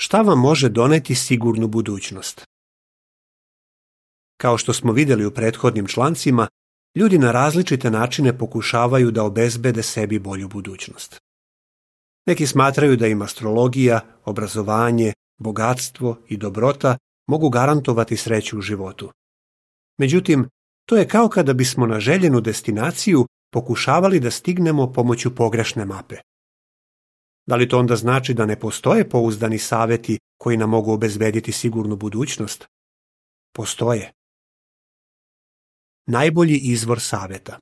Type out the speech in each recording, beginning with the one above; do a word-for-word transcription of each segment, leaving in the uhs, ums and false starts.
Šta vam može doneti sigurnu budućnost? Kao što smo vidjeli u prethodnim člancima, ljudi na različite načine pokušavaju da obezbede sebi bolju budućnost. Neki smatraju da im astrologija, obrazovanje, bogatstvo i dobrota mogu garantovati sreću u životu. Međutim, to je kao kada bismo na željenu destinaciju pokušavali da stignemo pomoću pogrešne mape. Da li to onda znači da ne postoje pouzdani savjeti koji nam mogu obezbediti sigurnu budućnost? Postoje. Najbolji izvor savjeta.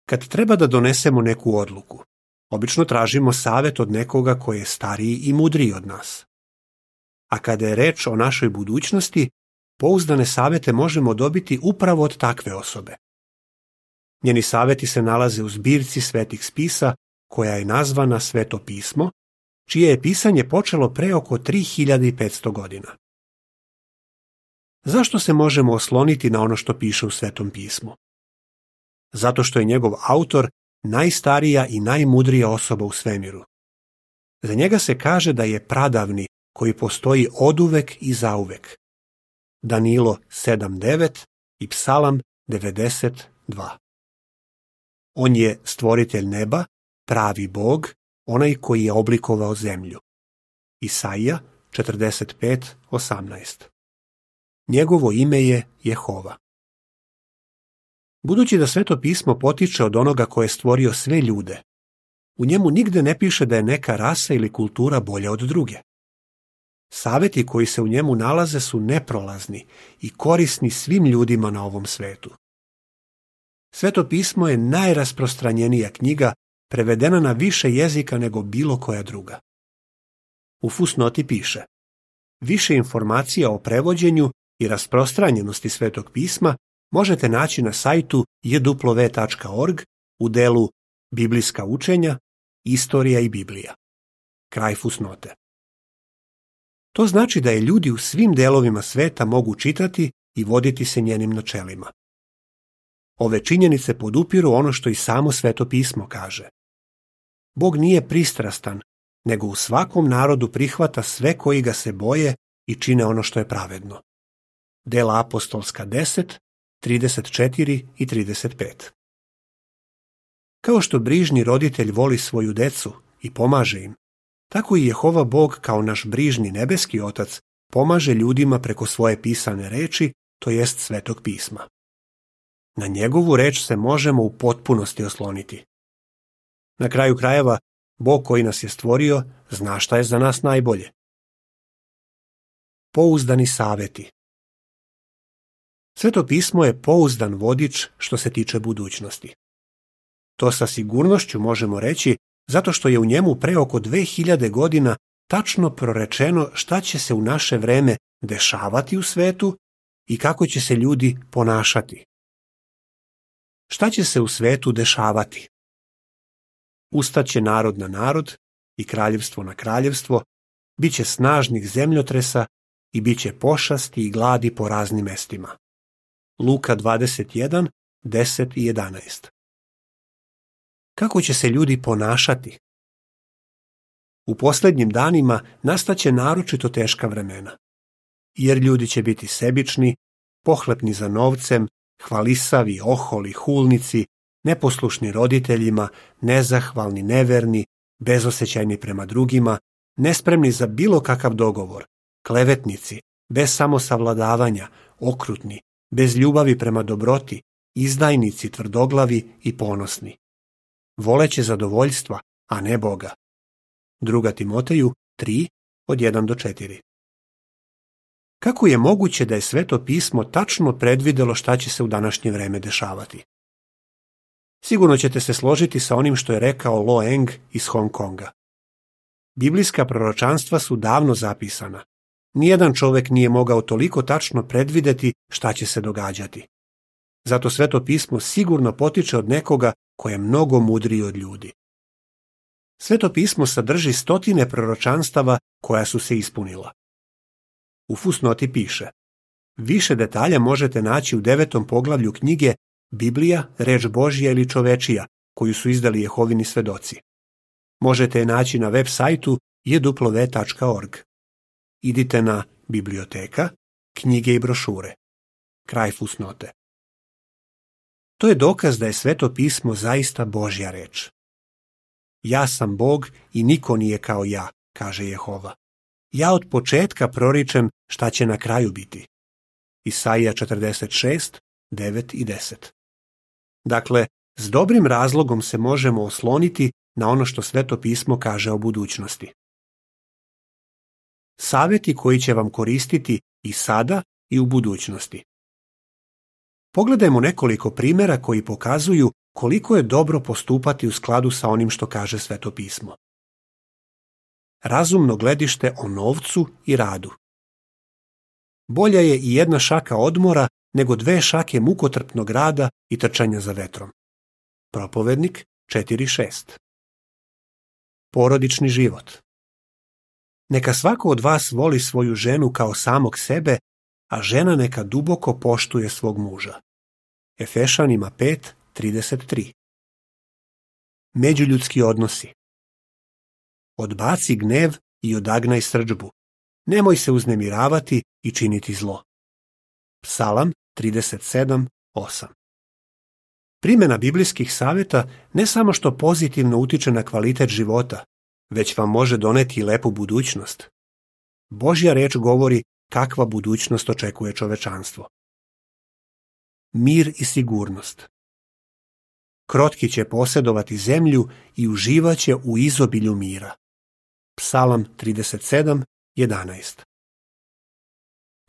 Kad treba da donesemo neku odluku, obično tražimo savjet od nekoga koji je stariji i mudriji od nas. A kada je reč o našoj budućnosti, pouzdane savjete možemo dobiti upravo od takve osobe. Njeni savjeti se nalaze u zbirci svetih spisa koja je nazvana Sveto pismo, čije je pisanje počelo pre oko tri hiljade petsto godina. Zašto se možemo osloniti na ono što piše u Svetom pismu? Zato što je njegov autor najstarija i najmudrija osoba u svemiru. Za njega se kaže da je pradavni koji postoji oduvek i zauvek. Danilo sedam devet i Psalam devedeset dva. On je stvoritelj neba, pravi Bog, onaj koji je oblikovao zemlju. Isaija četrdeset pet osamnaest. Njegovo ime je Jehova. Budući da Sveto pismo potiče od onoga ko je stvorio sve ljude, u njemu nigde ne piše da je neka rasa ili kultura bolja od druge. Savjeti koji se u njemu nalaze su neprolazni i korisni svim ljudima na ovom svetu. Sveto pismo je najrasprostranjenija knjiga, prevedena na više jezika nego bilo koja druga. U fusnoti piše: više informacija o prevođenju i rasprostranjenosti Svetog pisma možete naći na sajtu j w w tačka org u delu Biblijska učenja, Istorija i Biblija. Kraj fusnote. To znači da je ljudi u svim delovima sveta mogu čitati i voditi se njenim načelima. Ove činjenice podupiru ono što i samo Sveto pismo kaže. Bog nije pristrastan, nego u svakom narodu prihvata sve koji ga se boje i čine ono što je pravedno. Dela apostolska deset, trideset četiri i trideset pet. Kao što brižni roditelj voli svoju decu i pomaže im, tako i Jehova Bog kao naš brižni nebeski otac pomaže ljudima preko svoje pisane reči, to jest Svetog pisma. Na njegovu reč se možemo u potpunosti osloniti. Na kraju krajeva, Bog koji nas je stvorio zna šta je za nas najbolje. Pouzdani savjeti. Sveto pismo je pouzdan vodič što se tiče budućnosti. To sa sigurnošću možemo reći zato što je u njemu pre oko dve hiljade godina tačno prorečeno šta će se u naše vreme dešavati u svetu i kako će se ljudi ponašati. Šta će se u svetu dešavati? Ustaće narod na narod i kraljevstvo na kraljevstvo, bit će snažnih zemljotresa i bit će pošasti i gladi po raznim mestima. Luka dvadeset jedan, deset i jedanaest. Kako će se ljudi ponašati? U posljednjim danima nastaće naročito teška vremena, jer ljudi će biti sebični, pohlepni za novcem, hvalisavi, oholi, hulnici, neposlušni roditeljima, nezahvalni, neverni, bezosjećajni prema drugima, nespremni za bilo kakav dogovor, klevetnici, bez samosavladavanja, okrutni, bez ljubavi prema dobroti, izdajnici, tvrdoglavi i ponosni. Voleće zadovoljstva, a ne Boga. Druga Timoteju tri, od jedan do četiri. Kako je moguće da je Sveto pismo tačno predvidelo šta će se u današnje vreme dešavati? Sigurno ćete se složiti sa onim što je rekao Lo Eng iz Hong Konga. Biblijska proročanstva su davno zapisana. Nijedan čovjek nije mogao toliko tačno predvideti šta će se događati. Zato Sveto pismo sigurno potiče od nekoga ko je mnogo mudriji od ljudi. Sveto pismo sadrži stotine proročanstava koja su se ispunila. U fusnoti piše: više detalja možete naći u devetom poglavlju knjige Biblija, reč Božja ili čovečija, koju su izdali Jehovini svedoci. Možete je naći na web sajtu je w w w tačka org. Idite na biblioteka, knjige i brošure. Kraj fusnote. To je dokaz da je Sveto pismo zaista Božja reč. Ja sam Bog i niko nije kao ja, kaže Jehova. Ja od početka proričem šta će na kraju biti. Isaija četrdeset šest, devet i deset. Dakle, s dobrim razlogom se možemo osloniti na ono što Sveto pismo kaže o budućnosti. Savjeti koji će vam koristiti i sada i u budućnosti. Pogledajmo nekoliko primjera koji pokazuju koliko je dobro postupati u skladu sa onim što kaže Sveto pismo. Razumno gledište o novcu i radu. Bolja je i jedna šaka odmora nego dve šake mukotrpnog rada i trčanja za vetrom. Propovednik četiri šest. Porodični život. Neka svako od vas voli svoju ženu kao samog sebe, a žena neka duboko poštuje svog muža. Efešanima pet trideset tri. Međuljudski odnosi. Odbaci gnev i odagnaj srdžbu. Nemoj se uznemiravati i činiti zlo. Psalam trideset sedam osam. Primjena biblijskih savjeta ne samo što pozitivno utiče na kvalitet života, već vam može doneti i lepu budućnost. Božja reč govori kakva budućnost očekuje čovečanstvo. Mir i sigurnost. Krotki će posjedovati zemlju i uživaće u izobilju mira. Psalam trideset sedam jedanaest.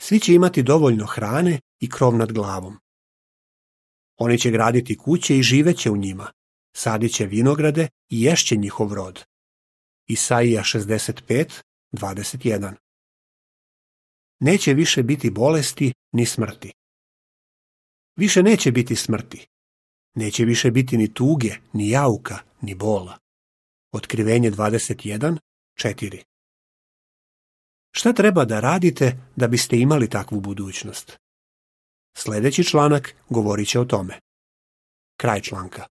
Svi će imati dovoljno hrane i krov nad glavom. Oni će graditi kuće i živeće u njima, sadit će vinograde i ješće njihov rod. Isaija šezdeset pet dvadeset jedan. Neće više biti bolesti ni smrti. Više neće biti smrti. Neće više biti ni tuge, ni jauka, ni bola. Otkrivenje dvadeset jedan četiri. Šta treba da radite da biste imali takvu budućnost? Sljedeći članak govorit će o tome. Kraj članka.